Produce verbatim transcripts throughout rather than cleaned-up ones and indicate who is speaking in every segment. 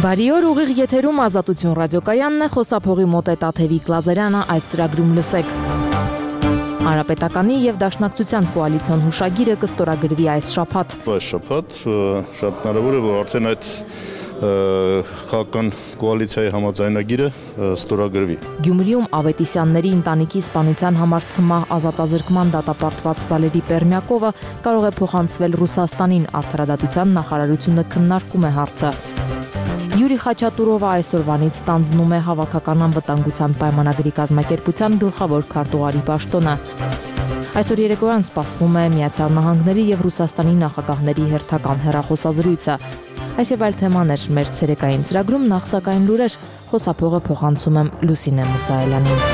Speaker 1: Բարի օր, ուղիղ եթերում Ազատություն ռադիոկայանն է, խոսափողի մոտ է Տաթևիկ Լազարյանը, այս ծրագրում լսեք։ Հանրապետականի եւ Դաշնակցության կոալիցիոն հուշագիրը կստորագրվի այս շաբաթ։
Speaker 2: Այս շաբաթ շատ հնարավոր է, որ արդեն այդ քաղաքական կոալիցիայի համաձայնագիրը ստորագրվի։
Speaker 1: Գյումրիում Ավետիսյանների ընտանիքի սպանության համար ցմահ ազատազրկման դատապարտված Վալերի Պերմյակովը կարող է փոխանցվել Ռուսաստանին, Արդարադատության նախարարությունը քննարկում է հարցը։ Յուրի Խաչատուրովը այսօրվանից ստանձնում է Հավաքական անվտանգության պայմանագրի կազմակերպության գլխավոր քարտուղարի պաշտոնը։ Այսօր երեկոյան սպասվում է Միացյալ Նահանգների եւ Ռուսաստանի նախագահների հերթական հեռախոսազրույցը։ Այս եւ այլ թեմաներ մեր ցերեկային ծրագրում, նախ սակայն լուրեր, խոսափողը փոխանցում եմ Լուսինե Մուսայելյանին։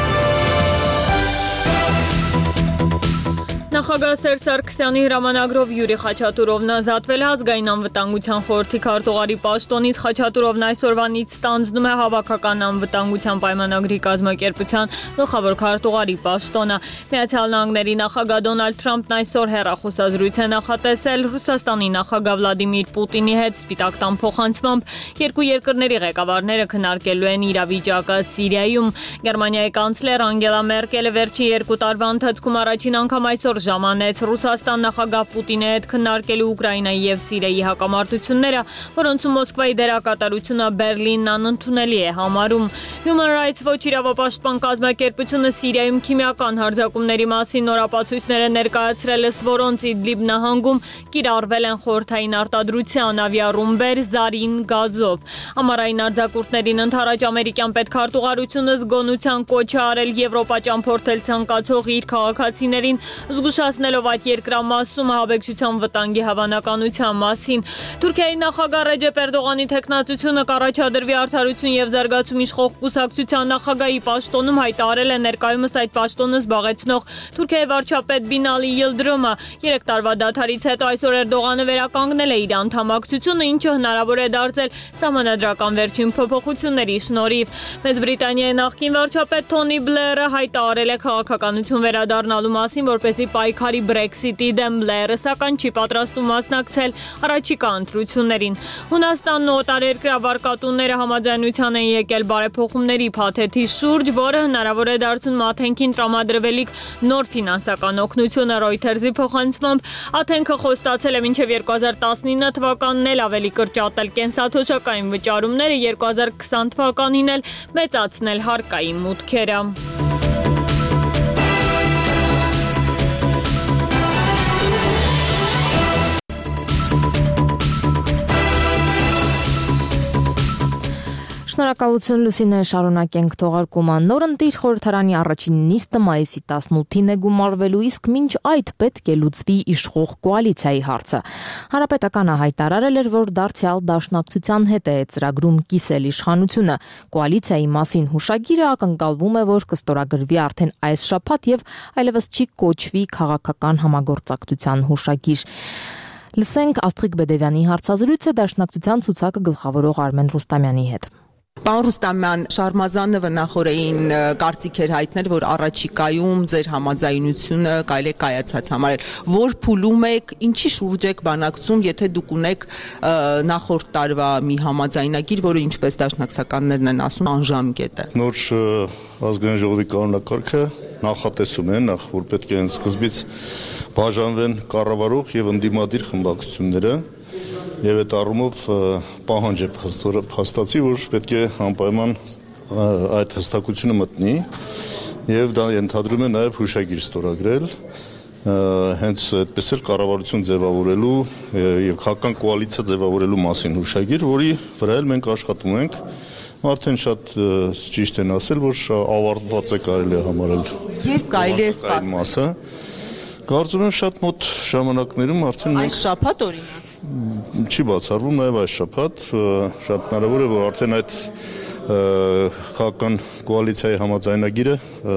Speaker 3: Նախագահ Սերժ Սարգսյանի հրամանագրով Յուրի Խաչատուրովն ազատվել է Ազգային անվտանգության խորհրդի քարտուղարի պաշտոնից։ Խաչատուրովն այսօրվանից ստանձնում է Հավաքական անվտանգության պայմանագրի կազմակերպության գլխավոր քարտուղարի պաշտոնը։ Միացյալ Նահանգների նախագահ Դոնալդ Թրամփն այսօր հեռախոսազրույց է նախատեսել Ռուսաստանի նախագահ Վլադիմիր Պուտինի հետ Սպիտակ տան փոխանցմամբ երկու երկրների ղեկավարները քննարկելու են իրավիճակը Սիրիայում։ Գերմանիայի կանցլեր Անգելա Մերկելը վերջին երկու տարվա ընթացքում առաջին անգամ այսօր ժամանեց Ռուսաստան նախագահ Պուտինի հետ քննարկելու Ուկրաինայի եւ Սիրիայի հակամարտությունները, որոնցում Մոսկվայի դերակատարությունը Բերլինն անընդունելի է համարում։ Human Rights Watch իրավապաշտպան կազմակերպությունը Սիրիայում քիմիական հարձակումների մասին նորապացույցներ է ներկայացրել, ըստ որոնց Իդլիբ նահանգում կիրառվել են խորհրդային արտադրության ավիառումբեր զարին գազով։ Ամառային արձակուրդներին ընդառաջ ամերիկյան պետքարտուղարությունը զգոնության կոչ է արել Եվրոպա ճամփորդել ցանկացող իր քաղաքացիներին, զգուշացնելով այդ երկրամասում ահաբեկչության վտանգի հավանականության մասին։ Թուրքիայի նախագահ Ռեջեփ Էրդողանի թեկնածությունը կառաջադրվի Արդարություն եւ զարգացում իշխող կուսակցության նախագահի պաշտոնում հայտարարել է ներկայումս այդ պաշտոնը զբաղեցնող Թուրքիայի վարչապետ Բինալի Յիլդրոմը։ Երեք տարվա դադարից հետո այսօր Էրդողանը վերականգնել է իր անդամակցությունը, ինչը հնարավոր է դարձել սահմանադրական վերջին փոփոխությունների շնորհիվ։ Մեծ Բրիտանիայի նախկին վարչապետ Թոնի Բլերը հայտարարել է քաղաքականություն վերադառնալու մասին, որպեսզի պայքարի Brexit-ի դեմ Բլերը, սակայն չի պատրաստում մասնակցել առաջիկա ընտրություններին։ Հունաստանն ու օտարերկրյա վարկատունները համաձայնության են եկել բարեփոխումների փաթեթի շուրջ, որը հնարավոր է դարձնում Աթենքին տրամադրվելիք նոր ֆինանսական օգնությունը։ Reuters-ի փոխանցմամբ Աթենքը խոստացել է մինչև երկու հազար տասնինը թվականն էլ ավելի կրճատել կենսաթոշակային վճարումները, երկու հազար քսան թվականին էլ մեծացնել հարկային մուտքերը։
Speaker 1: Շնորհակալություն Լուսինե, շարունակենք թողարկումը։ Նորընտիր խորհրդարանի առաջին նիստը մայիսի տասնութին է գումարվելու, իսկ մինչ այդ պետք է լուծվի իշխող կոալիցիայի հարցը։ Հանրապետականը հայտարարել էր, որ դարձյալ Դաշնակցության հետ է ծրագրում կիսել իշխանությունը։ Կոալիցիայի մասին հուշագիրը ակնկալվում է, որ կստորագրվի արդեն այս շաբաթ եւ այլևս չի կոչվի քաղաքական համագործակցության հուշագիր։ Լսենք Աստղիկ Բեդևյանի հարցազրույցը Դաշնակցության ցուցակը գլխավորող Արմեն Ռուստամյանի հետ։
Speaker 4: Պարոն Ռուստամյան, Շարմազանովը նախորդին կարծիք էր հայտնել, որ առաջիկայում ձեր համաձայնությունը կարելի է կայացած համարել։ Որ փուլում եք, ինչի շուրջ եք բանակցում, եթե դուք ունեք նախորդ տարվա մի համաձայնագիր, որը ինչպես դաշնակցականներն են ասում, անժամկետ է։
Speaker 2: Նոր ազգային ժողովի կանոնակարգը նախատեսում է, նախ որ պետք է սկզբից բաժանվեն կառավարող եւ ընդդիմադիր խմբակցությունները։ Եվ այդ առումով պահանջ է փաստացի, որ պետք է անպայման այդ հստակությունը մտնի եւ դա ենթադրում է նաեւ հուշագիր ստորագրել, հենց այդպես էլ կառավարություն ձևավորելու եւ քաղաքական կոալիցիա ձևավորելու մասին հուշագիր, որի վրա էլ մենք աշխատում ենք։ Արդեն շատ ճիշտ են ասել, որ ավարտված է կարելի է համարել։ Երբ կարելի է սպասել։ Կարծում եմ շատ մոտ ժամանակներում արդեն
Speaker 4: այս շաբաթ օրինակ
Speaker 2: չի բացառվում նաև այս շաբաթ, շատ հնարավոր է, որ արդեն այդ քաղաքական կոալիցիայի համաձայնագիրը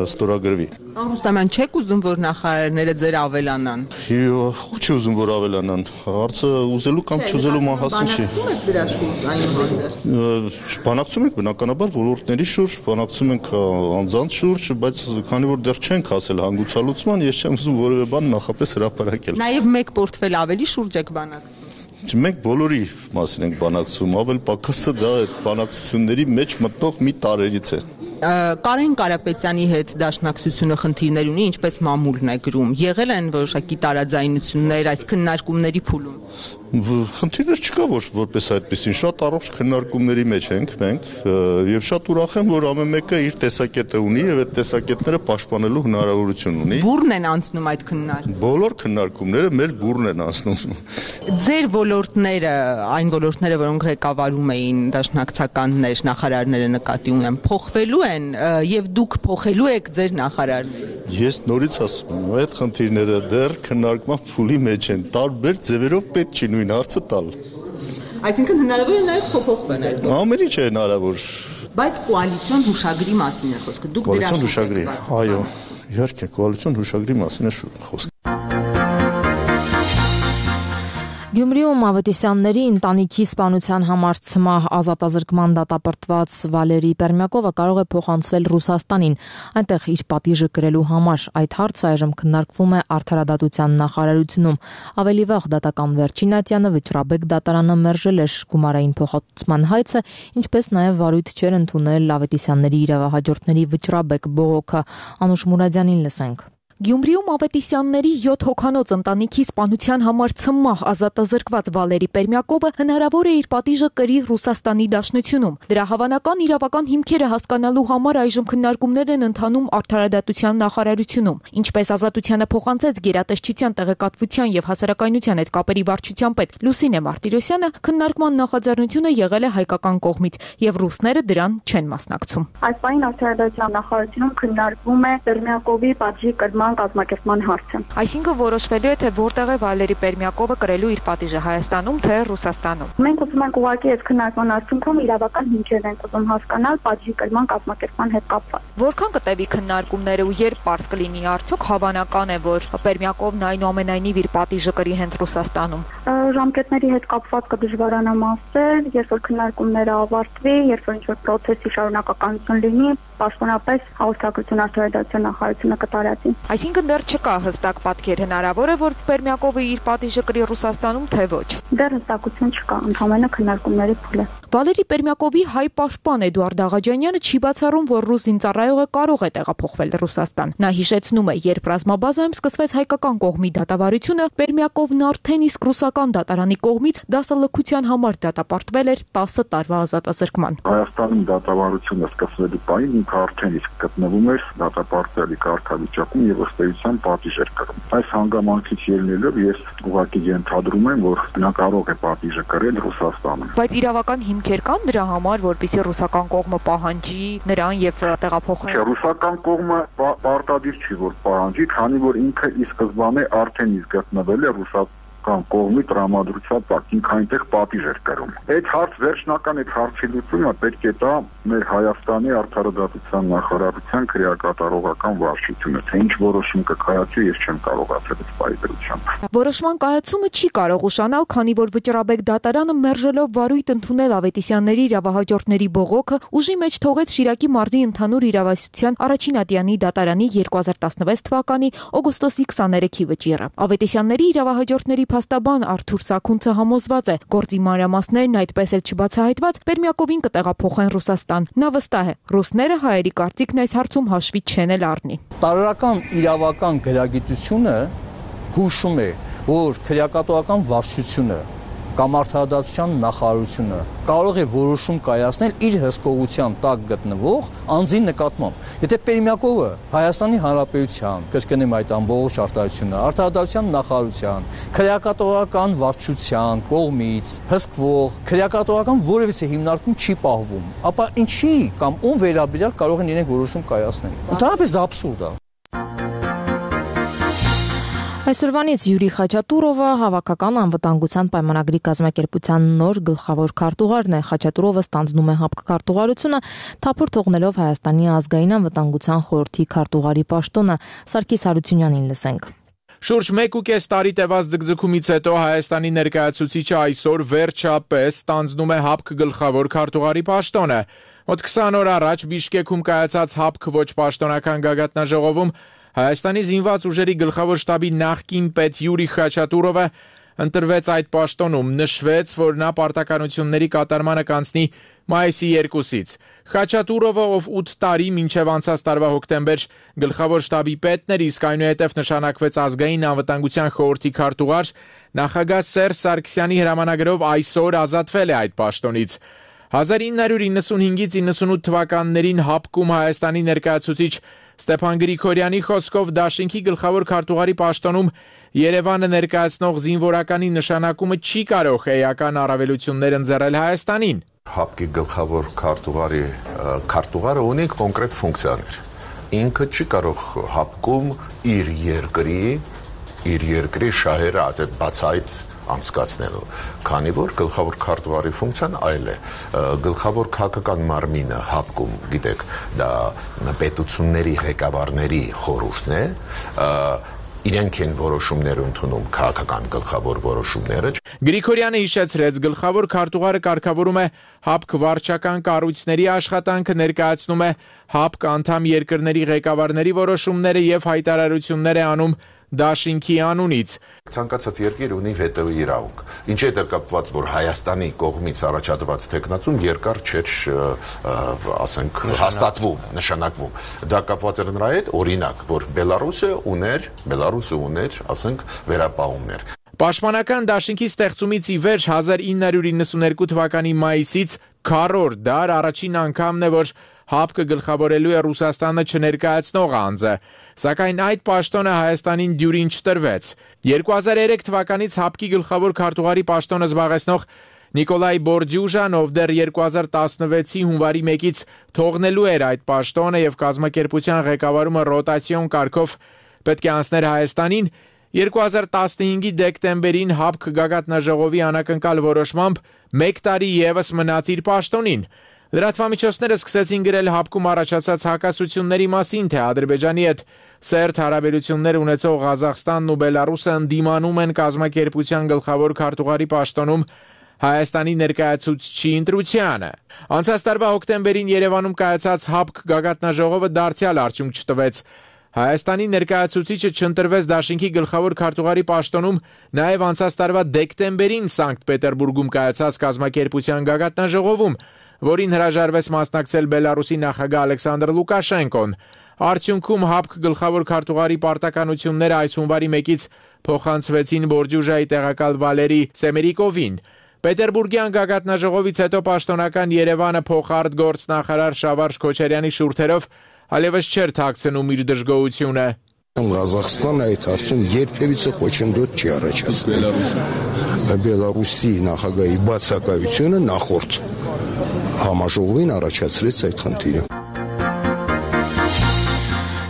Speaker 2: ստորագրվի։
Speaker 4: Պարոն Ռուստամյան, չեք ուզում, որ նախարարները ձեր ավելանան։
Speaker 2: Ով չի ուզում, որ ավելանան։ Հարցը ուզելու կամ չուզելու մասին չի։
Speaker 4: Բանակցում եք դրա շուրջ այնուհանդերձ։
Speaker 2: Բանակցում ենք բնականաբար ոլորտների շուրջ, բանակցում ենք անձանց շուրջ, բայց քանի որ դեռ չենք հասել հանգուցալուծման, ես չեմ ուզում որևէ բան նախապես հրապարակել։
Speaker 4: Նաև մեկ պորտֆել ավելի շուրջ եք բանակցում։
Speaker 2: Մենք բոլորի մասին ենք բանակցում, ավել պակասը դա այդ բանակցությունների մեջ մտնող մի տարերից է։
Speaker 4: Կարեն Կարապետյանի հետ դաշնակցությունը խնդիրներ ունի, ինչպես մամուլն է գրում։ Եղել են որոշակի տարաձայնություններ այս քննարկումների փուլում։
Speaker 2: Խնդիրներ չկա, որ որպես այդպեսին շատ առողջ քննարկումների մեջ ենք մենք եւ շատ ուրախ եմ, որ ամեն մեկը իր տեսակետը ունի եւ այդ տեսակետները պաշտպանելու հնարավորություն ունի։
Speaker 4: Բուրն են անցնում այդ քննարկումները։
Speaker 2: Բոլոր քննարկումները մեր բուրն են անցնում։
Speaker 4: Ձեր ոլորտները, այն ոլորտները, որոնք ղեկավարում էին դաշնակցականներ, նախարարները նկատի ունեմ, փոխվելու են եւ դուք փոխելու եք ձեր նախարարները։
Speaker 2: Ես նորից ասում եմ, այդ խնդիրները դեռ քննարկման փուլի մեջ են, տարբեր ձևերով պետք չի նույն հարցը տալ։
Speaker 4: Այսինքն հնարավոր է նաեւ փոփոխվեն այդ։
Speaker 2: Ամեն ինչ է հնարավոր։
Speaker 4: Բայց կոալիցիոն հուշագրի մասին է խոսքը։ Դուք դրա
Speaker 2: Կոալիցիոն հուշագրի, այո, իհարկե, կոալիցիոն հուշագրի մասին է խոսքը։
Speaker 1: Գյումրիում Ավետիսյանների ընտանիքի սպանության համար ցմահ ազատազրկման դատապարտված Վալերի Պերմյակովը կարող է փոխանցվել Ռուսաստանին, այնտեղ իր պատիժը կրելու համար։ Այդ հարցը այժմ քննարկվում է Արդարադատության նախարարությունում։ Ավելի վաղ դատական վերջին ատյանը Վճռաբեկ դատարանը մերժել էր գումարային փոխհատուցման հայցը, ինչպես նաև վարույթ չէր ընդունել Ավետիսյանների իրավահաջորդների Վճռաբեկ բողոքը։ Անուշ Մուրադյանին լսենք։
Speaker 5: Գյումրիում Ավետիսյանների յոթ հոգանոց ընտանիքի սպանության համար ցմահ ազատազրկված Վալերի Պերմյակովը հնարավոր է իր պատիժը կրի Ռուսաստանի Դաշնությունում։ Դրա հավանական իրավական հիմքերը հասկանալու համար այժմ քննարկումներ են ընթանում Արդարադատության նախարարությունում։ Ինչպես Ազատությանը փոխանցեց Գերատեսչության տեղեկատվության եւ հասարակայնության հետ կապերի վարչության պետ Լուսինե Մարտիրոսյանը, քննարկման նախաձեռնությունը եղել է հայկական կողմից եւ ռուսները դրան չեն մասնակցում։
Speaker 6: Այս պահին Արդարադատության նախարարությունում քննարկվում է Պերմյակովի պատժի կրման կազմակերպման հարցը։
Speaker 5: Այսինքն որոշվելու է, թե որտեղ է Վալերի Պերմյակովը կրելու իր պատիժը Հայաստանում, թե Ռուսաստանում։
Speaker 6: Մենք ուզում ենք ուղղակի այս քննարկման արդյունքում իրավական հիմքերն ենք ուզում հասկանալ պատժի կրման կազմակերպման հետ կապված։
Speaker 5: Որքան կտևի քննարկումները ու երբ պարզ կլինի արդյոք հավանական է, որ Պերմյակովն այնուամենայնիվ իր պատիժը կրի հենց Ռուսաստանում։
Speaker 6: Ժամկետների հետ կապված կդժվարանամ ասել, երբ որ քննարկումները ավարտվի, երբ որ ինչ-որ process-ի շարունակականություն լինի, պաշտոնապես հաղորդագրություն Արդարադատության նախարարությունը կտարածի։
Speaker 5: Այսինքն դեռ չկա հստակ պատկեր, հնարավոր է, որ Պերմյակովը իր պատիժը կրի Ռուսաստանում, թե ոչ։
Speaker 6: Դեռ հստակություն չկա, ընդհանրապես քննարկումների փուլ է։
Speaker 5: Վալերի Պերմյակովի հայ պաշտպան Էդուարդ Աղաջանյանը չի բացառում, որ ռուս զինծառայողը կարող է տեղափոխվել Ռուսաստան։ Նա հիշեցնում է, երբ ռազմաբազայում սկսվեց հայկական կողմի դատավարությունը, Պերմյակովն արդեն իսկ ռուսական դատարանի կողմից դասալքության համար դատապարտվել էր տասը տարվա ազատազրկման։
Speaker 7: Հայաստանում դատավարությունը սկսվելու պահին ինքը արդեն իսկ գտնվում էր դատապարտելի կարգավիճակում եւ ըստ էության պատիժ էր կրում։ Այս հանգամանքից ելնելով ես ուղղակի ենթադրում եմ, որ նա կարող է պատիժը կրել Ռուսաստանում։
Speaker 5: Բայց իրավական հիմքեր կան դրա համար, որպեսզի ռուսական կողմը պահանջի նրան եւ տեղափոխի։
Speaker 7: Ռուսական կողմը պարտադիր չի, որ պահանջի, քանի որ ինքը ի սկզբանե արդեն իսկ գտնվել է ռուսական կողմի տրամադրության տակ, ինքը այնտեղ պատիժ էր կրում։ Այդ հարց վերջնական այդ հարցի լուծումը պետք է տա մեր Հայաստանի Արդարադատության նախարարության քրեակատարողական վարչությունը, թե ինչ որոշում կկայացի, ես չեմ կարող ասել այս պայմանությամբ։
Speaker 5: Որոշման կայացումը չի կարող ուշանալ, քանի որ Վճռաբեկ դատարանը մերժելով վարույթ ընդունել Ավետիսյանների իրավահաջորդների բողոքը, ուժի մեջ թողեց Շիրակի մարզի ընդհանուր իրավասության առաջին ատյանի դատարանի երկու հազար տասնվեց թվականի օգոստոսի քսաներեքի վճիռը։ Ավետիսյանների իրավահաջորդների փաստաբան Արթուր Սաքունցը համոզված է, գործի մանրամասներն այդպես էլ չբացահայտված Պերմյակովին կտեղափոխեն Ռուսաստան։ Նա վստահ է, ռուսները հայերի կարծիքն այս հարցում հաշվի չեն էլ առնի։
Speaker 8: Տարրական իրավական գրագիտությունը հուշում է, որ քրեակատողական վարչությունը կամ Արդարադատության նախարարությունը կարող է որոշում կայացնել իր հսկողության տակ գտնվող անձի նկատմամբ։ Եթե Պերմյակովը Հայաստանի Հանրապետության, կրկնեմ այդ ամբողջ արտահայտությունը, Արդարադատության նախարարության, քրեակատողական վարչության կողմից հսկվող քրեակատողական որևիցե հիմնարկում չի պահվում, ապա ինչի կամ ում վերաբերյալ կարող են իրենք որոշում կայացնել։ Ընդհանրապես դա աբսուրդ է։
Speaker 1: Այսօրվանից Յուրի Խաչատուրովը հավաքական անվտանգության պայմանագրի կազմակերպության նոր գլխավոր քարտուղարն է։ Խաչատուրովը ստանձնում է ՀԱՊԿ քարտուղարությունը, թափուր թողնելով Հայաստանի ազգային անվտանգության խորհրդի քարտուղարի պաշտոնը։ Սարգիս Հարությունյանին լսենք։
Speaker 9: Շուրջ մեկ ու կես տարի տևած ձգձգումից հետո Հայաստանի ներկայացուցիչը այսօր վերջապես ստանձնում է ՀԱՊԿ գլխավոր քարտուղարի պաշտոնը։ Մոտ քսան օր առաջ Բիշկեքում կայացած ՀԱՊԿ ոչ պաշտոնական գագաթնաժողովում Հայաստանի զինված ուժերի գլխավոր շտաբի նախկին պետ Յուրի Խաչատուրովը ընտրվեց այդ պաշտոնում, նշվեց, որ նա պարտականությունների կատարմանը կանցնի մայիսի երկուսից։ Խաչատուրովը, ով ութ տարի մինչև անցած տարվա հոկտեմբեր գլխավոր շտաբի պետն էր, իսկ այնուհետև նշանակվեց ազգային անվտանգության խորհրդի քարտուղար, նախագահ Սերժ Սարգսյանի հրամանագրով այսօր ազատվել է այդ պաշտոնից։ հազար ինը հարյուր իննսունհինգից իննսունութ թվականներին ՀԱՊԿ-ում Հայաստանի ներկայացուցիչ Ստեփան Գրիգորյանի խոսքով դաշինքի գլխավոր քարտուղարի պաշտոնում Երևանը ներկայացնող զինվորականի նշանակումը չի կարող էական առավելություններ ընձեռել Հայաստանին։
Speaker 10: ՀԱՊԿ-ի գլխավոր քարտուղարի քարտուղարը ունի կոնկրետ ֆունկցիաներ։ Ինքը չի կարող ՀԱՊԿ-ում իր երկրի իր երկրի շահերը այդ բացայտ անցկացնելու, քանի որ գլխավոր քարտուղարի ֆունկցիան այլ է։ Գլխավոր քաղաքական մարմինը ՀԱՊԿ-ում, գիտեք, դա պետությունների ղեկավարների խորհուրդն է, իրենք են որոշումներ ընդունում, քաղաքական գլխավոր որոշումները։
Speaker 9: Գրիգորյանը հիշեցրեց, գլխավոր քարտուղարը կարգավորում է ՀԱՊԿ վարչական կառույցների աշխատանքը, ներկայացնում է ՀԱՊԿ անդամ երկրների ղեկավարների որոշումները եւ հայտարարություններ է անում դաշինքի անունից։
Speaker 10: Ցանկացած երկիր ունի վետոյի իրավունք։ Ինչի հետ կապված, որ Հայաստանի կողմից առաջադրված տեխնացում երկար չէր, ասենք, հաստատվում, նշանակվում։ Դա կապված էր նրա հետ, օրինակ, որ Բելարուսը ուներ, Բելարուսը ուներ, ասենք, վերապահումներ։
Speaker 9: Պաշտպանական դաշինքի ստեղծումից ի վեր հազար ինը հարյուր իննսուներկու թվականի մայիսից քառորդ դար առաջին անգամն է, որ ՀԱՊԿ-ը գլխավորելու է Ռուսաստանը չներկայացնող անձը, սակայն այդ պաշտոնը Հայաստանին դյուրին չտրվեց։ երկու հազար երեք թվականից ՀԱՊԿ-ի գլխավոր քարտուղարի պաշտոնը զբաղեցնող Նիկոլայ Բորդյուժան, ով դեռ երկու հազար տասնվեցի հունվարի մեկից թողնելու էր այդ պաշտոնը եւ կազմակերպության ղեկավարումը ռոտացիոն կարգով պետք է անցներ Հայաստանին, երկու հազար տասնհինգի դեկտեմբերին ՀԱՊԿ գագաթնաժողովի անակնկալ որոշմամբ մեկ տարի եւս մնաց իր պաշտոնին։ Լրատվամիջոցները սկսեցին գրել ՀԱՊԿ-ում առաջացած հակասությունների մասին, թե Ադրբեջանի հետ սերտ հարաբերություններ ունեցող Ղազախստանն ու Բելարուսը ընդդիմանում են կազմակերպության գլխավոր քարտուղարի պաշտոնում Հայաստանի ներկայացուցչի ընտրությանը։ Անցած տարվա հոկտեմբերին Երևանում կայացած ՀԱՊԿ գագաթնաժողովը դարձյալ արդյունք չտվեց։ Հայաստանի ներկայացուցիչը չընտրվեց դաշինքի գլխավոր քարտուղարի պաշտոնում նաև անցած տարվա դեկտեմբերին Սանկտ Պետերբուրգում կայացած կազմակերպության գագաթնաժողովում, որին հրաժարվեց մասնակցել Բելարուսի նախագահ Ալեքսանդր Լուկաշենկոն։ Արդյունքում ՀԱՊԿ գլխավոր քարտուղարի պարտականությունները այս հունվարի մեկից փոխանցվեցին Բորդյուժայի տեղակալ Վալերի Սեմերիկովին։ Պետերբուրգյան գագաթնաժողովից հետո պաշտոնական Երևանը փոխարտգործնախարար Շավարժ Քոչարյանի շուրթերով այլևս չէր թաքցնում իր դժգոհությունը։
Speaker 11: Ղազախստանը այդ հարցում երբևիցե խոչընդոտ չի առաջացրել։ Բելարուսի նախագահի բացակայությունը նախորդ համաժողովին առաջացրեց այդ խնդիրը։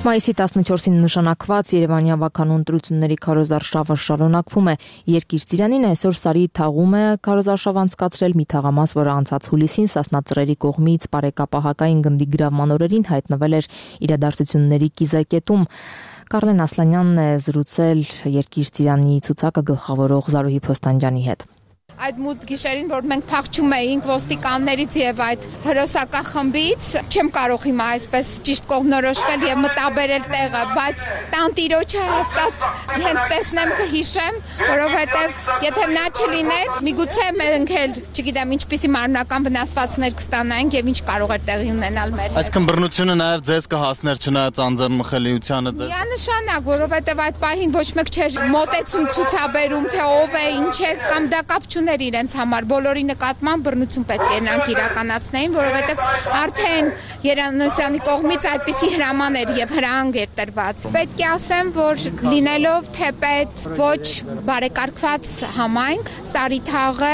Speaker 1: Մայիսի տասնչորսին նշանակված Երևանի ավականու ընտրությունների քարոզարշավը շարունակվում է։ Երկիր ծիրանին այսօր Սարի թաղում է քարոզարշավ անցկացրել մի թաղամաս, որը անցած հուլիսին Սասնա ծռերի կողմից բարեկապահակային գնդի գրավման օրերին հայտնվել էր իրադարձությունների կիզակետում։ Կարլեն Ասլանյանն է զրուցել Երկիր ծիրանի ցուցակը գլխավորող Զարուհի Փոստանջյանի հետ։
Speaker 12: Այդ մութ գիշերին, որ մենք փախչում էինք ոստիկաններից եւ այդ հրոսակա խմբից, չեմ կարող հիմա այսպես ճիշտ կողմնորոշվել եւ մտաբերել տեղը, բայց տանտիրոջը հաստատ հենց տեսնեմ կհիշեմ, որովհետեւ եթե նա չլիներ, միգուցե մենք էլ, չգիտեմ, ինչպիսի մարմնական վնասվածքներ կստանայինք եւ ինչ կարող էր տեղի ունենալ մեր հետ։
Speaker 13: Այսինքն բռնությունը նաեւ ձեզ կհասներ չնայած անձեռնմխելիությանը ձեզ։
Speaker 12: Միանշանակ, որովհետեւ այդ պահին ոչ մեկ չէր մոտեցում ցուցաբերում, թե ով է, ինչ է, կամ դա կապ չուներ իրենց համար, բոլորի նկատմամբ բռնություն պետք է նրանք իրականացնեին, որովհետև արդեն Երանոսյանի կողմից այդպիսի հրաման էր եւ հրահանգ էր տրված։ Պետք է ասեմ, որ լինելով թեպետ ոչ բարեկարգված համայնք, Սարի թաղը,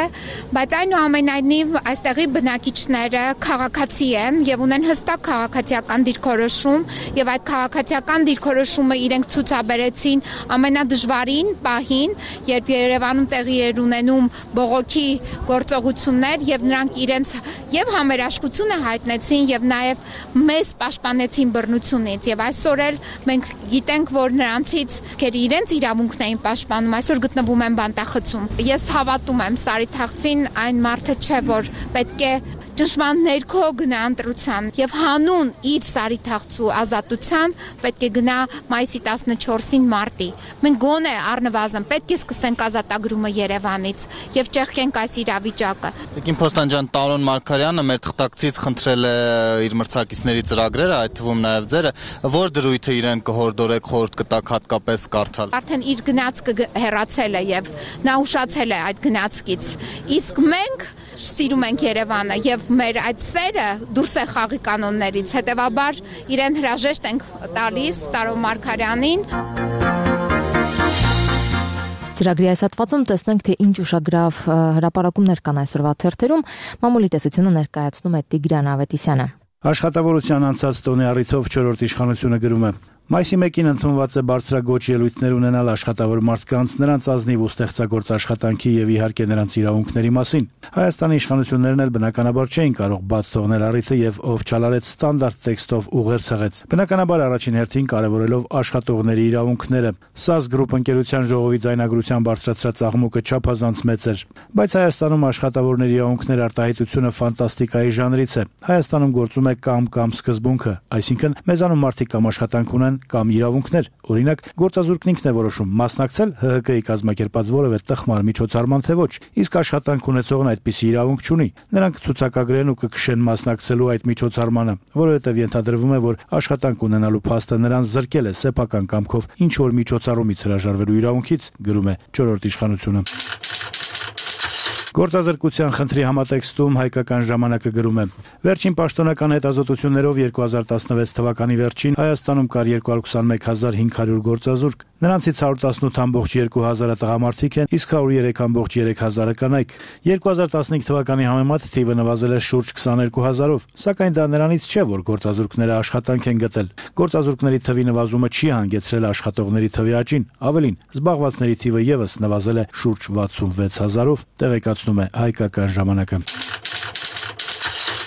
Speaker 12: բայց այնուամենայնիվ այստեղի բնակիչները քաղաքացի են եւ ունեն հստակ քաղաքացիական դիրքորոշում եւ այդ քաղաքացիական դիրքորոշումը իրենք ցուցաբերեցին ամենադժվարին պահին, երբ Երևանում տեղի էր ունենում բողոքի գործողություններ եւ նրանք իրենց եւ համերաշխությունը հայտնեցին եւ նաեւ մեզ պաշտպանեցին բռնությունից եւ այսօր էլ մենք գիտենք, որ նրանցից ովքեր իրենց իրավունքն էին պաշտպանում, այսօր գտնվում են բանտախցում։ Ես հավատում եմ Սարի թաղցին, այն մարդը չէ, որ պետք է ճնշման ներքո գնա ընտրության եւ հանուն իր սարիթաղցու ազատության պետք է գնա մայիսի տասնչորսին մարտի։ Մենք գոնե առնվազն պետք է սկսենք ազատագրումը Երևանից եւ ճեղքենք այս իրավիճակը։
Speaker 13: Տիկին Փոստան ջան, Տարոն Մարգարյանը մեր թղթակցից խնդրել է իր մրցակիցների ծրագրերը, այդ թվում նաեւ ձերը, որ դրույթը իրեն կհորդորեք, խորհուրդ կտակ հատկապես կարդալ։
Speaker 12: Արդեն իր գնացքը հեռացել է եւ նա ուշացել է այդ գնացքից։ Իսկ մենք սիրում ենք Երևանը եւ մեր այդ սերը դուրս է խաղի կանոններից, հետեւաբար իրեն հրաժեշտ ենք տալիս Տարոն Մարգարյանին։
Speaker 1: Ծրագրի այս հատվածում տեսնենք, թե ինչ ուշագրավ հրապարակումներ կան այսօրվա թերթերում։ Մամուլի տեսությունը ներկայացնում է Տիգրան Ավետիսյանը։
Speaker 14: Աշխատավորության անցած տոնի առիթով չորրորդ իշխանությունը գրում է. Մայիսի մեկին ընդունված է բարձրագոչ ելույթներ ունենալ աշխատավոր մարդկանց, նրանց ազնիվ ու ստեղծագործ աշխատանքի եւ իհարկե նրանց իրավունքների մասին։ Հայաստանի իշխանություններն էլ բնականաբար չէին կարող բաց թողնել առիթը եւ ով չալարեց ստանդարտ տեքստով ուղեր ցեղեց։ Բնականաբար առաջին հերթին կարևորելով աշխատողների իրավունքները։ ՍԱԶ գրուպ ընկերության ժողովի ձայնագրության բարձրացրած աղմուկը չափազանց մեծ էր։ Բայց Հայաստանում աշխատավորների իրավունքների արտահայտությունը ֆանտաստիկայի ժանրից է։ Հայաստանում գործում է կամ-կամ սկզբունքը, այսինքն մեզանում մարդիկ կամ աշխատանք ունեն կամ իրավունքներ։ Օրինակ, գործազուրկն ինքն է որոշում մասնակցել ՀՀԿ-ի կազմակերպած որևէ տխմար միջոցառման թե ոչ, իսկ աշխատանք ունեցողն այդպիսի իրավունք չունի։ Նրանք ցուցակագրեն ու կքշեն մասնակցելու այդ միջոցառմանը, որովհետև ենթադրվում է, որ աշխատանք ունենալու փաստը նրան զրկել է սեփական կամքով ինչ որ միջոցառումից հրաժարվելու իրավունքից, գրում է չորրորդ իշխանությունը։ Գործազրկության խնդրի համատեքստում հայկական ժամանակը գրում է. Վերջին պաշտոնական հետազոտություններով երկու հազար տասնվեց թվականի վերջին Հայաստանում կար երկու հարյուր քսանմեկ հազար հինգ հարյուր գործազուրկ, նրանցից հարյուր տասնութ կόμμα երկու հազարը տղամարդիկ են, իսկ հարյուր երեք կόμμα երեք հազարը կանայք։ երկու հազար տասնհինգ թվականի համեմատ թիվը նվազել է շուրջ քսաներկու հազարով, սակայն դա նրանից չէ, որ գործազուրկները աշխատանք են գտել։ Գործազուրկների թվի նվազումը չի հանգեցրել աշխատողների թվի աճին, ավելին, զբաղվածների թիվը եւս նվազել է շուրջ վաթսունվեց հազարով, տեղեկացնում է հայկական ժամանակը։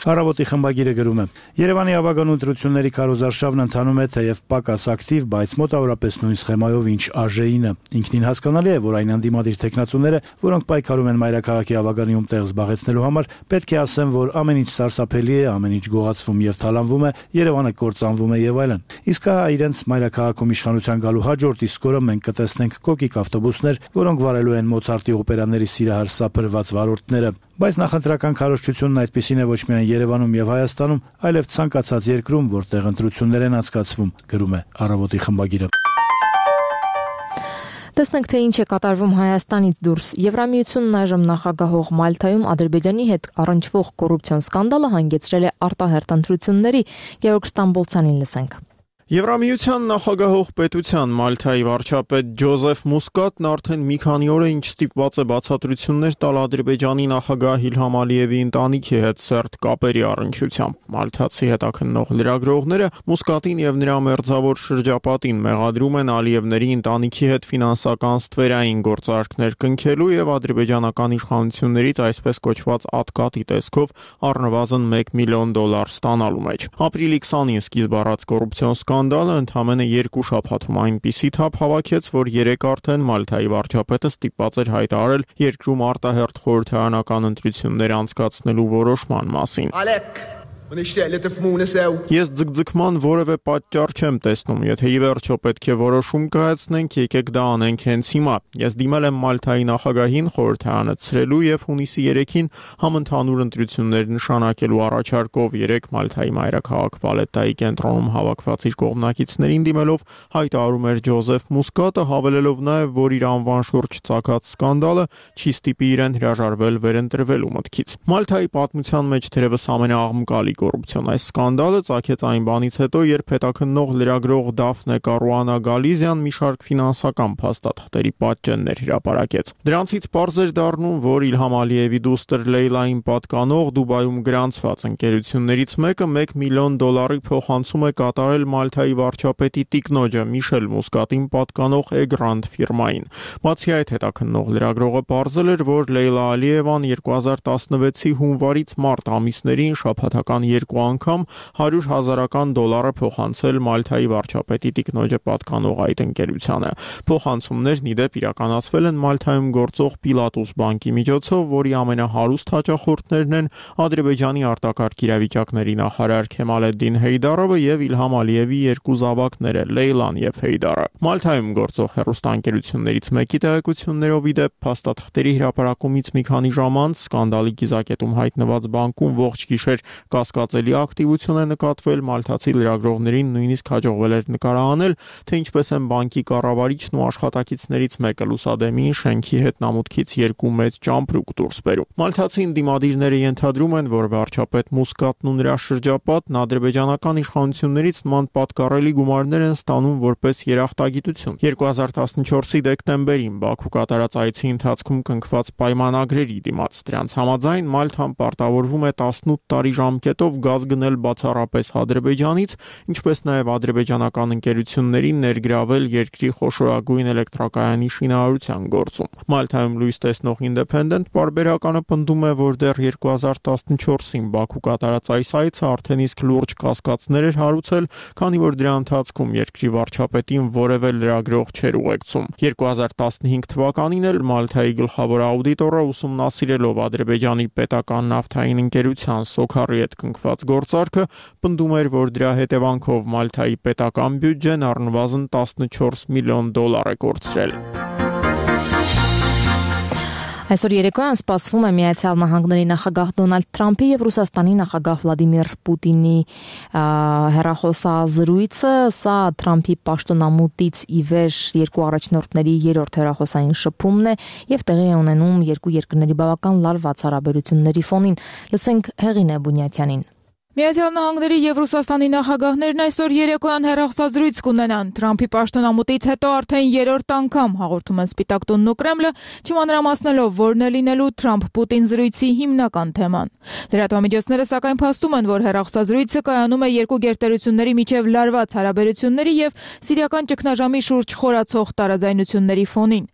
Speaker 14: Առավոտի խմբագիրը գրում է. Երևանի ավագան ընտրությունների քարոզարշավն ընթանում է թեև պակաս ակտիվ, բայց մոտավորապես նույն սխեմայով ինչ ԱԺԻ-ը։ Ինքնին հասկանալի է, որ այն անդիմադիր տեխնացուները, որոնք պայքարում են մայրաքաղաքի ավագանիում տեղ զբաղեցնելու համար, պետք է ասեն, որ ամեն ինչ սարսափելի է, ամեն ինչ գողացվում եւ թալանվում է, Երևանը կործանվում է եւ այլն։ Իսկ հա իրենց մայրաքաղաքում իշխանության գալու հաջորդ իսկ օրը մենք կտեսնենք կոկիկ ավտոբուսներ, որոնք վարելու են Մոցարտի օպերաների սիրահար սափրված վարորդները։ Բայց նախընտրական քարոզչությունն այդպիսին է ոչ միայն Երևանում եւ Հայաստանում, այլև ցանկացած երկրում, որտեղ ընտրություններ են անցկացվում, գրում է Առավոտի խմբագիրը։
Speaker 1: Տեսնենք, թե ինչ է կատարվում Հայաստանից դուրս։ Եվրամիությունն այժմ նախագահող Մալթայում Ադրբեջանի հետ առնչվող կոռուպցիոն սկանդալը հանգեցրել է արտահերթ ընտրությունների։ Գեորգ Ստամբոլցյանին լսենք։
Speaker 15: Եվրամիության նախագահող պետության Մալթայի վարչապետ Ջոզեֆ Մուսկատն արդեն մի քանի օր է ինչ ստիպված է բացատրություններ տալ Ադրբեջանի նախագահ Իլհամ Ալիևի ընտանիքի հետ սերտ կապերի առնչությամբ։ Մալթացի հետաքննող լրագրողները Մուսկատին եւ նրա մերձավոր շրջապատին մեղադրում են Ալիևների ընտանիքի հետ ֆինանսական ստվերային գործարքներ կնքելու եւ ադրբեջանական իշխանություններից այսպես կոչված ատկատի տեսքով առնվազն մեկ միլիոն դոլար ստանալու մեջ։ Ապրիլի քսանին սկիզբ առած կոռուպցիոն սկանդալը ընդամենը երկու շաբաթում այնպիսի թափ հավաքեց, որ երեք արդեն Մալթայի վարչապետը ստիպված էր հայտարարել երկրում արտահերթ խորհրդարանական ընտրություններ անցկացնելու որոշման մասին։ Ես ձգձգման որևէ պատճառ չեմ տեսնում, եթե ի վերջո պետք է որոշում կայացնենք, եկեք դա անենք հենց հիմա։ Ես դիմել եմ Մալթայի նախագահին խորհրդարանը ցրելու եւ հունիսի երեքին համընդհանուր ընտրություններ նշանակելու առաջարկով երեք Մալթայի մայրաքաղաք Վալետայի կենտրոնում հավաքված իր կողմնակիցներին դիմելով հայտարարում էր Ջոզեֆ Մուսկատը, հավելելով նաեւ, որ իր անվան շուրջ ծագած սկանդալը չի ստիպի իրեն հրաժարվել վերընտրվելու մտքից։ Մալթայի պատմության մեջ թերևս ամենաաղմկալի կոռուպցիոն այս սկանդալը ծագեց այն բանից հետո, երբ հետաքննող լրագրող Դաֆնե Կարուանա Գալիզյան մի շարք ֆինանսական փաստաթղթերի պատճեններ հրապարակեց։ Դրանցից պարզ էր դառնում, որ Իլհամ Ալիևի դուստր Լեյլային պատկանող Դուբայում գրանցված ընկերություններից մեկը մեկ միլիոն դոլարի փոխանցում է կատարել Մալթայի վարչապետի տիկնոջը Միշել Մուսկատին պատկանող Էգրանդ ֆիրմային։ Բացի այդ, հետաքննող լրագրողը պարզել էր, որ Լեյլա Ալիևան երկու հազար տասնվեցի հունվարից մարտ ամիսներին շաբաթական երկու անգամ հարյուր հազարական դոլարը փոխանցել Մալթայի վարչապետի տիկնոջը պատկանող այդ ընկերությանը։ Փոխանցումներն ի դեպ իրականացվել են Մալթայում գործող Պիլատուս բանկի միջոցով, որի ամենահարուստ հաճախորդներն են Ադրբեջանի արտակարգ իրավիճակների նախարար Քեմալեդդին Հեյդարովը եւ Իլհամ Ալիևի երկու զավակները Լեյլան եւ Հեյդարը։ Մալթայում գործող հեռուստաընկերություններից մեկի տեղեկություններով ի դեպ փաստաթղթերի հրապարակումից մի քանի ժամ անց սկանդալի կիզակետում հայտնված բանկում ողջ գիշեր կասկածելի ակտիվություն է նկատվել, մալթացի լրագրողներին նույնիսկ հաջողվել էր նկարահանել, թե ինչպես են բանկի կառավարիչն ու աշխատակիցներից մեկը լուսադեմին շենքի հետնամուտքից երկու մեծ ճամպրուկ դուրս բերում։ Մալթացի ընդդիմադիրները ենթադրում են, որ վարչապետ Մուսկատն ու նրա շրջապատն ադրբեջանական իշխանություններից նման պատկառելի գումարներ են ստանում որպես երախտագիտություն։ երկու հազար տասնչորսի դեկտեմբերին Բաքու կատարած այցի ընթացքում կնքված պայմանագրերի դիմաց դրանց համաձայն Մալթան պարտավորվում է տասնութ տարի ժամկետով գազ գնել բացառապես Ադրբեջանից, ինչպես նաև ադրբեջանական ընկերություններին ներգրավել երկրի խոշորագույն էլեկտրակայանի շինարարության գործում։ Մալթայում լույս տեսնող Independent պարբերականը պնդում է, որ դեռ երկու հազար տասնչորսին Բաքու կատարած այս այցը արդեն իսկ լուրջ կասկածներ էր հարուցել, քանի որ դրա ընթացքում երկրի վարչապետին որևէ լրագրող չէր ուղեկցում։ երկու հազար տասնհինգ թվականին էլ Մալթայի գլխավոր աուդիտորը ուսումնասիրելով Ադրբեջանի պետական նավթային ընկերության Սոքարի հետ կնքված գործարքը պնդում էր, որ դրա հետևանքով Մալթայի պետական բյուջեն առնվազն տասնչորս միլիոն դոլար է կորցրել։
Speaker 1: Այսօր երեկոյան սպասվում է Միացյալ Նահանգների նախագահ Դոնալդ Թրամփի եւ Ռուսաստանի նախագահ Վլադիմիր Պուտինի հեռախոսազրույցը, սա Թրամփի պաշտոնամուտից ի վեր երկու առաջնորդների երրորդ հեռախոսային շփումն է եւ տեղի է ունենում երկու երկրների բավական լարված հարաբերությունների ֆոնին։ Լսենք Հեղինե Բունյաթյանին։
Speaker 5: Միացյալ Նահանգների եւ Ռուսաստանի նախագահներն այսօր երեկոյան հեռախոսազրույց կունենան։ Թրամփի պաշտոնամուտից հետո արդեն երրորդ անգամ հաղորդում են Սպիտակ տունն ու Կրեմլը, չմանրամասնելով որն է լինելու Թրամփ-Պուտին զրույցի հիմնական թեման։ Լրատվամիջոցները սակայն փաստում են, որ հեռախոսազրույցը կայանում է երկու գերտերությունների միջև լարված հարաբերությունների եւ սիրիական ճգնաժամի շուրջ խորացող տարաձայնությունների ֆոնին։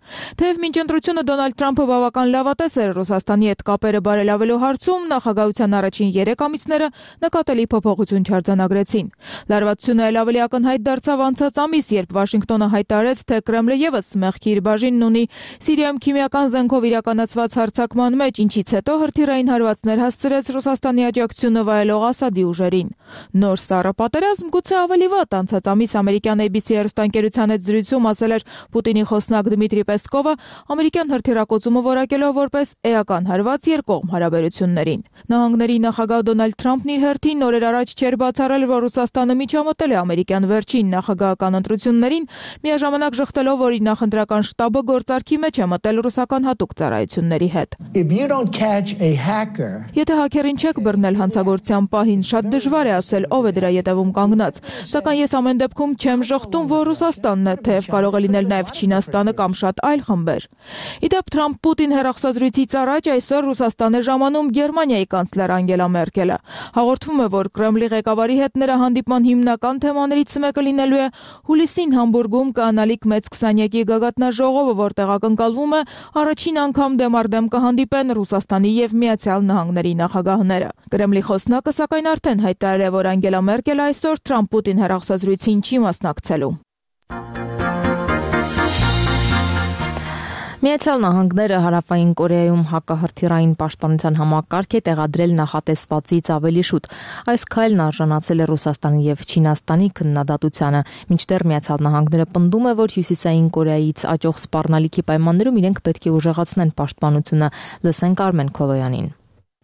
Speaker 5: Թեև մինչ ընտրությունը Դոնալդ Թրամփը բավական լավատես էր Ռուսաստանի հետ կապերը բարելավելու հարցում, նախագահության առաջին երեք ամիսները նկատելի փոփոխություն չարձանագրեցին։ Լարվածությունը ել ավելի ակնհայտ դարձավ անցած ամիս, երբ Վաշինգտոնը հայտարարեց, թե Կրեմլը եւս մեղքի իր բաժինն ունի Սիրիայում քիմիական զենքով իրականացված հարձակման մեջ, ինչից հետո հրթիռային հարվածներ հասցրեց Ռուսաստանի աջակցությունը վայելող Ասադի ուժերին։ Նոր սառը պատերազմ գուցե ավելի վատ անցած ամիս ամերիկյան A B C հեռուստաընկերության հետ զրույցում ասել էր Պուտինի խոսնակ Դմիտրի Պեսկովը, ամերիկյան հրթիռակոծումը որակելով որպես էական հարված երկկողմ հարաբերություններին։ Նահանգների նախագահ Դոնալդ Թրամփն իր հերթին օրեր առաջ չէր բացառել, որ Ռուսաստանը միջամտել է ամերիկյան վերջին նախագահական ընտրություններին, միաժամանակ ժխտելով, որ իր նախընտրական շտաբը գործարքի մեջ է մտել ռուսական հատուկ ծառայությունների հետ։ Եթե հաքերին չեք բռնել հանցագործության պահին, շատ դժվար է ասել ով է դրա ետևում կանգնած, սակայն ես ամեն դեպքում չեմ ժխտում, որ Ռուսաստանն է, թեև կարող է լինել նաև Չինաստանը կամ շատ այլ խմբեր։ Իդեպ Թրամփ-Պուտին հեռախոսազրույցից առաջ այսօր Ռուսաստան է ժամանում Գերմանիայի կանցլեր Անգելա Մերկելը։ Հաղորդվում է, որ Կրեմլի ղեկավարի հետ նրա հանդիպման հիմնական թեմաներից մեկը լինելու է հուլիսին Համբուրգում կանալիք մեծ քսանյակի գագաթնաժողովը, որտեղ ակնկալվում է առաջին անգամ դեմ առ դեմ կհանդիպեն Ռուսաստանի եւ Միացյալ Նահանգների նախագահները։ Կրեմլի խոսնակը սակայն արդեն հայտարարել է, որ Անգելա Մերկելը այսօր Թրամփ-Պուտին հեռախոսազրույցին չի մասնակցելու։
Speaker 1: Միացյալ Նահանգները Հարավային Կորեայում հակահրթիռային պաշտպանության համակարգ է տեղադրել նախատեսվածից ավելի շուտ։ Այս քայլն արժանացել է Ռուսաստանի եւ Չինաստանի քննադատությանը, մինչդեռ Միացյալ Նահանգները պնդում է, որ Հյուսիսային Կորեայից աճող սպառնալիքի պայմաններում իրենք պետք է ուժեղացնեն պաշտպանությունը։ Լսենք Արմեն Քոլոյանին։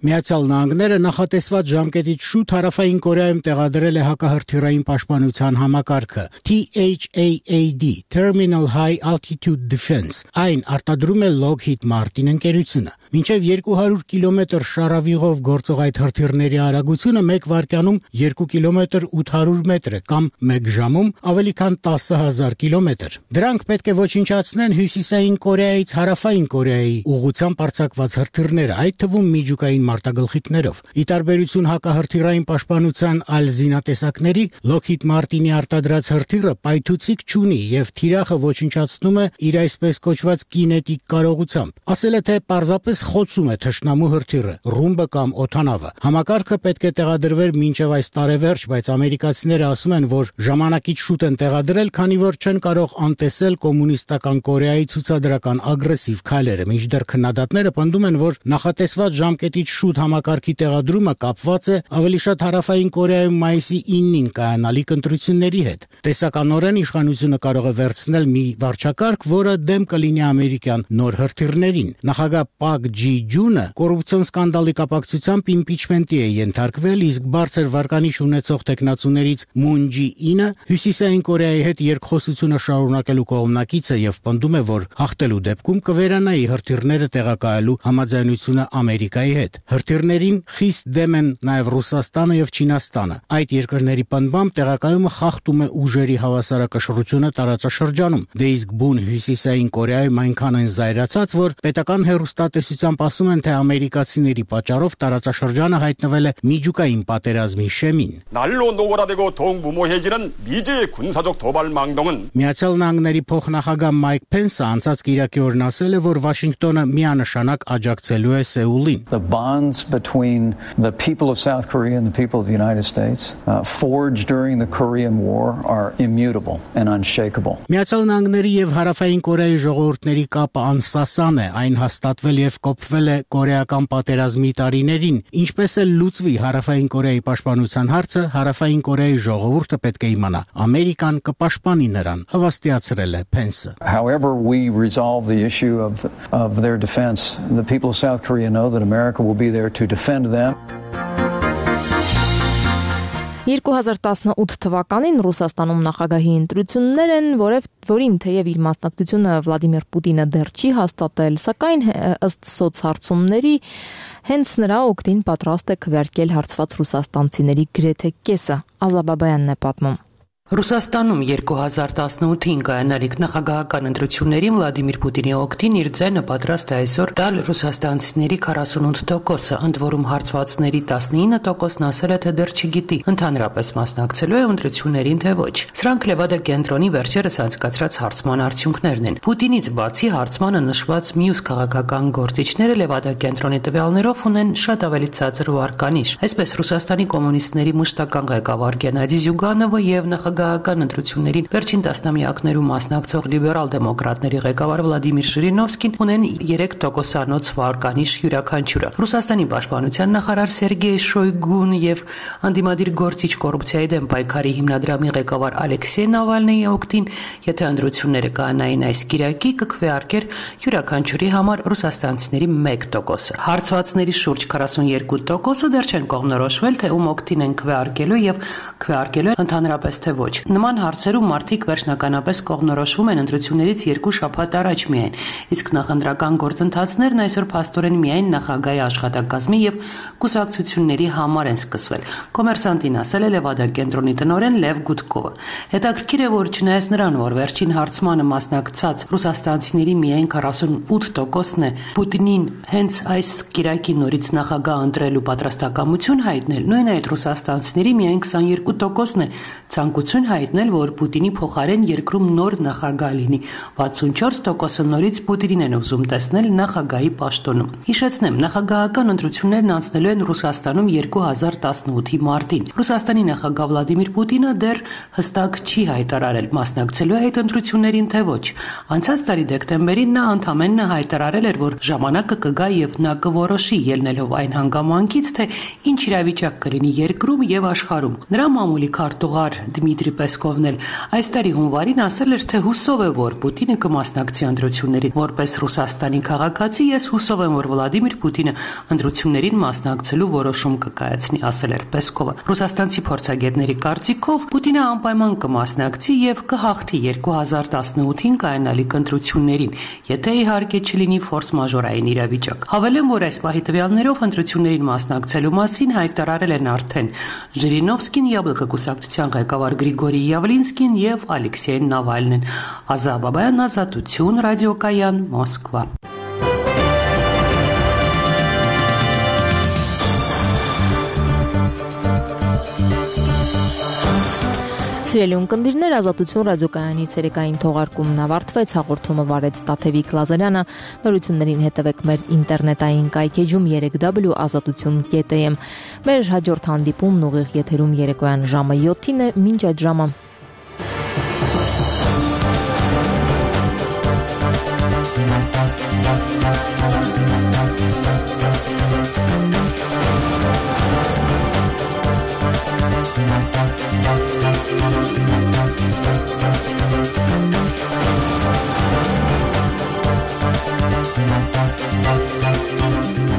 Speaker 16: Միացյալ Նահանգները նախատեսված ժամկետից շուտ Հարավային Կորեայում տեղադրել է հակահրթիռային պաշտպանության համակարգը T H A A D Terminal High Altitude Defense։ Այն արտադրում է Lockheed Martin ընկերությունը։ Մինչև երկու հարյուր կիլոմետր շարավիղով գործող այդ հրթիռների արագությունը մեկ վայրկյանում երկու կիլոմետր ութ հարյուր մետր է կամ մեկ ժամում ավելի քան տասը հազար կիլոմետր։ Դրանք պետք է ոչնչացնեն Հյուսիսային Կորեայից Հարավային Կորեայի ուղղությամբ արձակված հրթիռները, այդ թվում միջուկային մարտագլխիկներով։ Ի տարբերություն հակահրթիռային պաշտպանության այլ զինատեսակների, Lockheed Martin-ի արտադրած հրթիռը պայթուցիկ չունի եւ թիրախը ոչնչացնում է իր այսպես կոչված կինետիկ կարողությամբ։ Ասել է, թե պարզապես խոցում է թշնամու հրթիռը, ռումբը կամ օդանավը։ Համակարգը պետք է տեղադրվեր մինչև այս տարեվերջ, բայց ամերիկացիները ասում են, որ ժամանակից շուտ են տեղադրել, քանի որ չեն կարող անտեսել կոմունիստական Կորեայի ցուցադրական ագրեսիվ քայլերը։ Մինչդեռ քննադատները պնդում են, որ նախատեսված ժամկետից շուտ համակարգի տեղադրումը կապված է ավելի շատ Հարավային Կորեայում մայիսի իննին կայանալիք ընտրությունների հետ։ Տեսականորեն իշխանությունը կարող է վերցնել մի վարչակարգ, որը դեմ կլինի ամերիկյան նոր հրթիռներին։ Նախագահ Պակ Ջի-ջունը կոռուպցիոն սկանդալի կապակցությամբ իմպիչմենտի է ենթարկվել, իսկ բարձր վարկանիշ ունեցող տեխնացուներից Մուն Ջի-ինը Հյուսիսային Կորեայի հետ երկխոսությունը շարունակելու կողմնակից է եւ պնդում է, որ հաղթելու դեպքում կվերանայի հրթիռները տեղակայելու համաձայնությունը Ամերիկայի հետ։ Հրթիռներին խիստ դեմ են նաեւ Ռուսաստանը եւ Չինաստանը։ Այդ երկրների պնդմամբ տեղակայումը խախտում է ուժերի հավասարակշռությունը տարածաշրջանում։ Դե իսկ բուն Հյուսիսային Կորեայում այնքան են զայրացած, որ պետական հեռուստատեսությամբ ասում են, թե ամերիկացիների պատճառով տարածաշրջանը հայտնվել է միջուկային պատերազմի շեմին։
Speaker 17: 날로 노골화되고 동무모해지는 미제의 군사적 도발 망동은
Speaker 16: Միացյալ Նահանգների փոխնախագահ Մայք Փենսը անցած կիրակի օրն ասել է, որ Վաշինգտոնը միանշանակ աջակցելու է Սեուլին։
Speaker 18: The bonds between the people of South Korea and the people of the United States uh, forged during the Korean War are immutable and unshakable.
Speaker 16: Միացյալ Նահանգների եւ Հարավային Կորեայի ժողովուրդների կապը անսասան է, այն հաստատվել եւ կոփվել է կորեական պատերազմի տարիներին, ինչպես էլ լուծվի Հարավային Կորեայի պաշտպանության հարցը, Հարավային Կորեայի ժողովուրդը պետք է իմանա, Ամերիկան կպաշտպանի նրան, հավաստիացրել է Փենսը։
Speaker 18: However we resolve the issue of of their defense, the people of South Korea know that America will be there to defend them.
Speaker 1: երկու հազար տասնութ թվականին Ռուսաստանում նախագահի ընտրություններ են, որև որին թեև իր մասնակցությունը Վլադիմիր Պուտինը դեռ չի հաստատել, սակայն ըստ սոցհարցումների հենց նրա օգտին պատրաստ է քվեարկել հարցված ռուսաստանցիների գրեթե կեսը։ Ազաբաբայանն է պատմում։
Speaker 19: Ռուսաստանում երկու հազար տասնութին կայանալիք նախագահական ընտրություններին Վլադիմիր Պուտինի օգտին իր ձայնը պատրաստ է այսօր տալ ռուսաստանցիների քառասունութ տոկոսը, ընդ որում հարցվածների տասնինը տոկոսն ասել է, թե դեռ չգիտի, ընդհանրապես մասնակցելու է ընտրություններին թե ոչ։ Սրանք Լևադա կենտրոնի վերջերս անցկացրած հարցման արդյունքներն են։ Պուտինից բացի հարցմանը նշված մյուս քաղաքական գործիչները Լևադա կենտրոնի տվյալներով ունեն շատ ավելի ցածր վարկանիշ։ Այսպես Ռուսաստանի կոմունիստների մշտական ղեկավար Գենադի Զյուգանովը եւ նախագահական ընտրություններին վերջին տասնամյակներում մասնակցող լիբերալ դեմոկրատների ղեկավար Վլադիմիր Ժիրինովսկին ունեն երեք տոկոսանոց վարկանիշ յուրաքանչյուրը։ Ռուսաստանի պաշտպանության նախարար Սերգեյ Շոյգուն եւ անդիմադիր գործիչ կոռուպցիայի դեմ պայքարի հիմնադրամի ղեկավար Ալեքսեյ Նավալնիի օգտին, եթե ընտրությունները կանային այս կիրակի, կքվեարկեր յուրաքանչյուրի համար ռուսաստանցիների մեկ տոկոսը։ Հարցվածների շուրջ քառասունյոթ տոկոսը դեռ չեն կողմնորոշվել, թե ում օգտին են քվեարկելու եւ քվեարկելու ընդհանրապես թե ոչ։ Նման հարցերում մարդիկ վերջնականապես կողմնորոշվում են ընտրություններից երկու շաբաթ առաջ միայն, իսկ նախընտրական գործընթացներն այսօր փաստորեն միայն նախագահի աշխատակազմի եւ կուսակցությունների համար են սկսվել։ Կոմերսանտին ասել է Լևադա կենտրոնի տնօրեն Լև Գուդկովը։ Հետաքրքիր է, որ չնայած նրան, որ վերջին հարցմանը մասնակցած ռուսաստանցիների միայն քառասունութ տոկոսն է Պուտինին հենց այս կիրակի նորից նախագահ ընտրելու պատրաստակամություն հայտնել, նույն այդ ռուսաստանցիների միայն քսաներկու տոկոսն է ցանկություն հայտնել, որ Պուտինի փոխարեն երկրում նոր նախագահ լինի։ վաթսունչորս տոկոսը նորից Պուտինին են ուզում տեսնել նախագահի պաշտոնում։ Հիշեցնեմ, նախագահական ընտրություններն անցնելու են Ռուսաստանում երկու հազար տասնութի մարտին։ Ռուսաստանի նախագահ Վլադիմիր Պուտինը դեռ հստակ չի հայտարարել մասնակցելու այդ ընտրություններին թե ոչ։ Անցած տարի դեկտեմբերին նա ընդամենը հայտարարել էր, որ ժամանակը կգա եւ նա կորոշի ելնելով այն հանգամանքից, թե ինչ իրավիճակ կլինի երկրում եւ աշխարհում։ Նրա մամուլի քարտուղար Դմիտրի Պեսկովն էլ այս տարի հունվարին ասել էր, թե հուսով է, որ Պուտինը կմասնակցի ընտրություններին։ Որպես Ռուսաստանի քաղաքացի ես հուսով եմ, որ Վլադիմիր Պուտինը ընտրություններին մասնակցելու որոշում կկայացնի, ասել էր Պեսկովը։ Ռուսաստանցի փորձագետների կարծիքով Պուտինը անպայման կմասնակցի եւ կհաղթի երկու հազար տասնութին կայանալիք ընտրություններին, եթե իհարկե չլինի ֆորս-մաժորային իրավիճակ։ Հավելեմ, որ այս պահի տվյալներով ընտրություններին մասնակցելու մասին հայտարարել են արդեն Ժիրինովսկին, Յաբլկա կուսակցության ղեկավար Գրիգորի Յավլինսկին եւ Ալեքսեյ Նավալնին։ Ազաբաբայան, Ազատություն, ռադիոկայան, Մոսկվա։
Speaker 1: Սիրելի ունկնդիրներ, Ազատություն ռադիոկայանի ցերեկային թողարկումն ավարտվեց, հաղորդումը վարեց Տաթևիկ Լազարյանը, նորություններին հետևեք մեր ինտերնետային կայքեջում երեք w ազատություն կետ am։ Մեր հաջորդ հանդիպումն ուղիղ եթերում երեկոյան ժամը յոթին է, մինչ այդ ժամը